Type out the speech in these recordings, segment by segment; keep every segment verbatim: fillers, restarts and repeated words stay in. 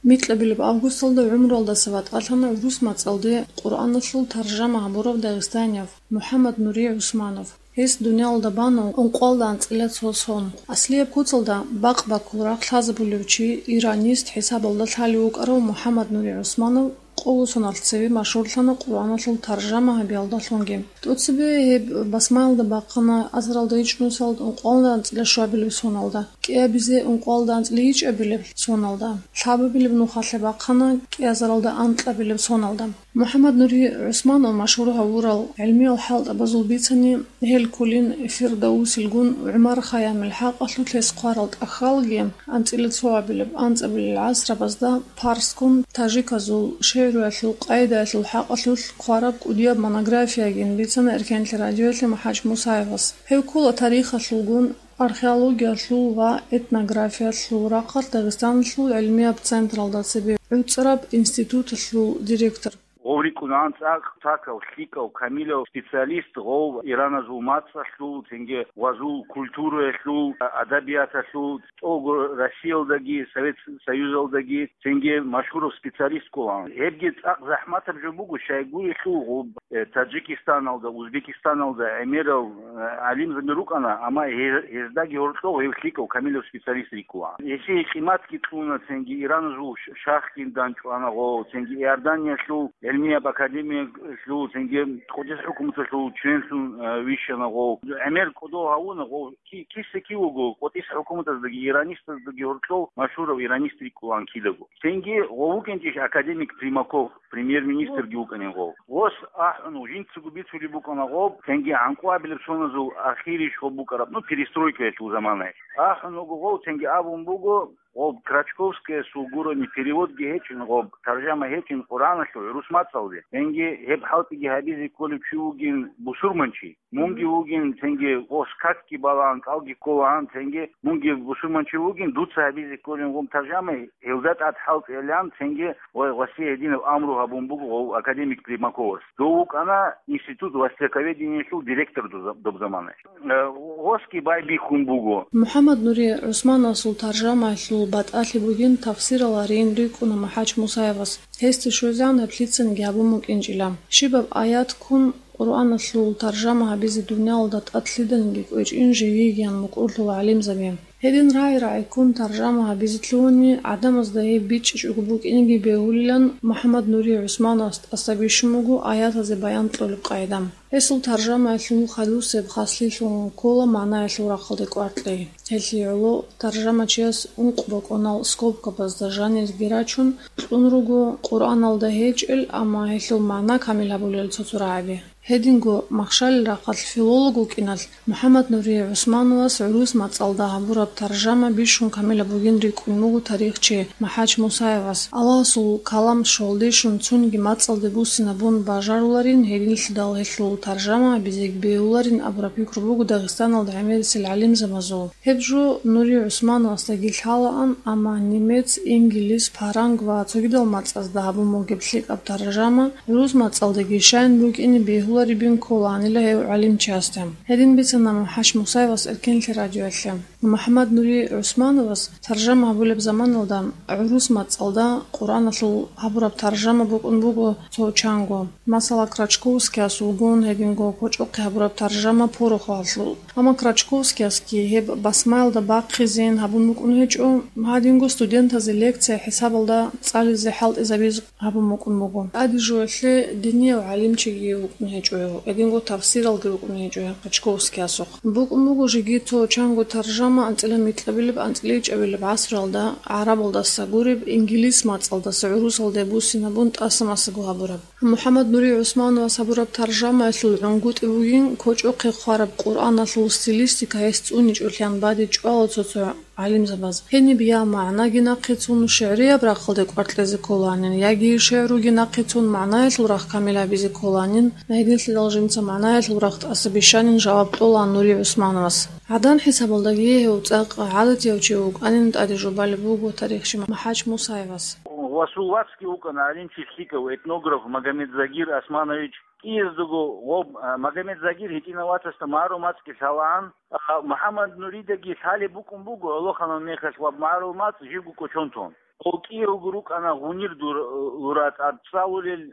Микьабилеб августалда гӀумруялдаса ватӀалъана гӀурус мацӀалде Къуръаналъул таржама гьабурав дагъистанияв МухӀаммад Нури ГӀусманов. Гьес дуниялалда бана ункъоялда анцӀила цо сон. Аслияб куцалда бакъ-баккул рахъ лъазабулев чи, иранист хӀисабалда лъалев вукӀарав МухӀаммад Нури ГӀусманов къоло соналъ цеве машгьурлъана Къуръаналъул таржама гьабиялдалъунги. ТӀоцебе гьеб басмаялда бахъана азаралда ичӀнусал ункъоялда анцӀила щуабилеб соналда, кӀиабизе ункъоялда анцӀила ичӀабилеб соналда, лъабабилеб нухалъе бахъана кӀиазаралда анкьабилеб соналда. МухӀаммад Нури ГӀусманов машгьур гьавурал гӀелмиял хӀалтӀабазул бицани, гьел кколин Фирдаусилгун, ГӀумар Хайямил хӀакъалъулъ гьес хъварал тӀахьалги, анцӀила цоабилеб, анцӀабилел гӀасрабазда парскун, тажиказул шигӀруялъул къагӀидаялъул хӀакъалъулъ хъвараб кӀудияб монографиягин бицана Эркенлъи радиоялъе МухӀач Мусаевас. Гьев ккола тарихалъулгун, археологиялъул ва этнографиялъул рахъалъ Дагъистаналъул гӀелмияб централда цебе гӀуцӀараб институталъул директор. Гъов рикӀкӀунаан цӀакъ пакав, лъикӀав, камилав специалист, гъов ираназул мацӀалъул, цинги гъвазул культураялъул, адабияталъул, цӀого Россиялдаги, Совет Союзалдаги, цинги машгьурав специалист кколаан. Гьебги цӀакъ захӀматаб жо буго, щайгурелъул гъоб, э, Таджикистаналда, Узбекистаналда гӀемерал, э, гӀалимзаби рукӀана, амма гьез-, гьездаги гьоркьов гьев лъикӀав камилав специалист рикӀкӀунаан. Гьесие къиматги кьуна, цинги ираназул ш-, шахгин данчӀвана гъов, цинги Иорданиялъул гӀелмияб академиялъул, цинги КъуддисахӀ хӀукуматалъул членлъун, э, вищана гъов. ГӀемер кӀодо гьавуна гъов, ки-, киса-кив вуго, КъуддисахӀ хӀукуматаздаги иранистаздаги гьоркьов машгьурав иранист рикӀкӀунаан кидаго. Цинги гъов вукӀинчӀищ академик Примаков, премьер-министрги вукӀанин гъов. Гъос ахӀун, жинцаго бицулеб букӀана гъоб, цинги гӀанкъуабилеб соназул ахирищ гъоб букӀараб, ну, перестройкаялъул заманаялъ. АхӀун вуго гъов, цинги абун буго, гъоб Крачковскаясул гурони переводги гьечӀин гъоб, таржама гьечӀин Къуръаналъул гӀурус мацӀалде. Цинги гьеб хӀалтӀиги гьабизе кколев чи вугин бусурманчи. Мунги вугин, цинги гъос какги балаан, кӀалги кколаан, цинги мунги бусурманчи вугин, дуца гьабизе кколин гъум таржама, гьелда тӀад хӀалтӀилан, цинги ва гъосие гьединаб амру гьабун буго гъов академик Примаковас. Дов вукӀана институт востоковедениялъул директор доб-, доб заманаялъ. Э, гъосги байбихьун буго. МухӀаммад Нури ГӀусмановасул таржамаялъул батӀалъи бугин тафсираларин рикӀкӀуна МухӀач Мусаевас. Гьесде щвезегӀан гьеб лъицаниги гьабун букӀинчӀила. Щибаб аят ккун Къуръаналъул таржама гьабизе дуниялалда тӀад лъиданиги кӀвечӀин живигиян мукӀурлъула гӀалимзаби. Гьедин рагӀи-рагӀи ккун таржама гьабизе лъугьуни, гӀадамазда гьеб бичӀчӀичӀого букӀинеги бегьулилан, МухӀаммад Нури ГӀусмановас тӀаса бищун буго аятазе баян кьолеб къайда. Гьесул таржамаялъул хадусеб хаслъилъун ккола магӀнаялъул рахъалде кӀваркьей. Гьелъие гӀоло таржамачияс ункъ бокӀонал скобкабазда жанирги рачун кьун руго Къуръаналда гьечӀел, амма гьелъул магӀна камил гьабулел цо-цо рагӀаби. Гьединго махщалил рахъалъ филолог вукӀиналъ МухӀаммад Нури ГӀусмановас гӀурус мацӀалда гьабураб таржама бищун камилаб бугин рикӀкӀун буго тарихчи МухӀач Мусаевас. Аллагьасул калам щолдищун цониги мацӀалде буссинабун бажаруларин, гьединлъидал гьелъул таржама гьабизеги бегьуларин абураб пикру буго Дагъистаналда гӀемерисел гӀалимзабазул. Гьеб жо Нури ГӀусмановасдаги лъалаан, амма немец, инглис, паранг ва цогидал мацӀазда гьабун бугеб лъикӀаб таржама гӀурус мацӀалдаги щайин букӀине бегьуларебин кколаанила гьев гӀалимчиясда. Гьедин бицана МухӀач Мусаевас Эркенлъи радиоялъе. МухӀаммад Нури ГӀусмановас таржама гьабулеб заманалда гӀурус мацӀалда Къуръаналъул гьабураб таржама букӀун буго цо чанго. Масала, Крачковскияс вугун гьединго кочӀохъе гьабураб таржама порохалъул. Амма Крачковскиясги гьеб басмаялда бахъизейин гьабун букӀун гьечӀо, гьадинго студентазе лекция хӀисабалда цӀализе хӀалтӀизабиз гьабун букӀун буго. ТӀаде жоялъе динияв гӀалимчиги вукӀун гьечӀо гьев, гьединго тафсиралги рукӀун гьечӀо гьев Крачковскиясухъ. БукӀун буго жеги цо чанго таржама анцӀила микьабилеб, анцӀила ичӀабилеб гӀасралда гӀарабалдаса гуреб, инглис мацӀалдаса гӀурусалде буссинабун тӀаса-масаго гьабураб. МухӀаммад Нури ГӀусмановас гьабураб таржамаялъул гӀунгутӀи бугин кочӀохъе хъвараб Къуръаналъул стилистика гьес цӀуничӀолъиан бадиб чӀвала цо-цо гӀалимзабаз. Гьениб я магӀнаги нахъицун, шигӀрияб рахъалде кӀваркьезе кколанин, яги шигӀруги нахъицун магӀнаялъул рахъ камил гьабизе кколанин, гьединлъидал жинца магӀнаялъул рахъ тӀаса бищанин жаваб кьолаан Нури ГӀусмановас. ГӀадан хӀисабалдаги гьев цӀакъ гӀадатияв чи вукӀанин тӀаде жубалеб буго тарихчи МухӀач Мусаевас. Ва сул вацги вукӀана гӀалимчи лъикӀав, этнограф Магомед Загир Османович. КӀияздаго гъоб, а, Магомед Загир гьитӀинав вацасда магӀарул мацӀги лъалаан, а, МухӀаммад Нуридаги лъалеб букӀун буго гӀолохъанал мехалъ ва магӀарул мацӀ живго кӀочон тун. Гъов кӀиявго рукӀана гъунир дур-, лура тӀад цӀалулел,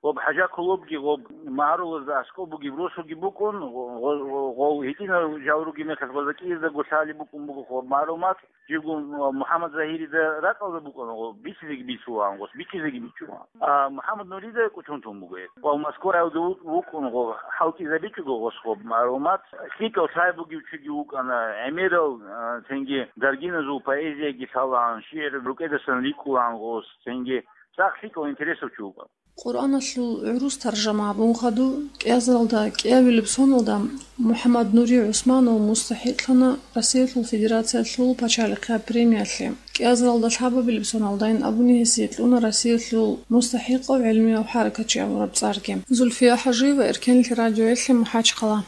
гъоб хӀажа-кулубги, гъоб магьарулазда аскӀоб бугеб росуги букӀун, гъо-, гъо-, гъов гьитӀинал жал ругеб мехалъ гъоза кӀияздаго лъалеб букӀун буго гъоб магьарул мацӀ, живго МухӀаммад Загьирида ракӀалда букӀана гъоб, бицизеги бицулаан гъос, бичизеги бичулаан. А МухӀаммад Нурида кӀутӀун тун буго гьеб. Ва Москваялда ву-, вукӀун гъо, хӀалтӀизабичӀого гъос гъоб магьарул мацӀ, лъикӀав лъай бугев чиги вукӀана, гӀемерал, а, цинги даргиназул поэзияги лъалаан, шигӀр рукӀедасан рикӀкӀулаан гъос, цинги цӀакъ лъикӀав интересав чи вукӀана. Къуръаналъул гӀурус таржама гьабун хадуб, кӀиазаралда кӀиабилеб соналда МухӀаммад Нури ГӀусманов мустахӀикълъана Россиялъул Федерациялъул пачалихъияб премиялъе. КӀиазаралда лъабабилеб соналдайин абуни гьесие кьуна Россиялъул мустахӀикъав гӀелмияв хӀаракатчи абураб цӀарги. Зульфия ХӀажиева, Эркенлъи радиоялъе, МахӀачхъала.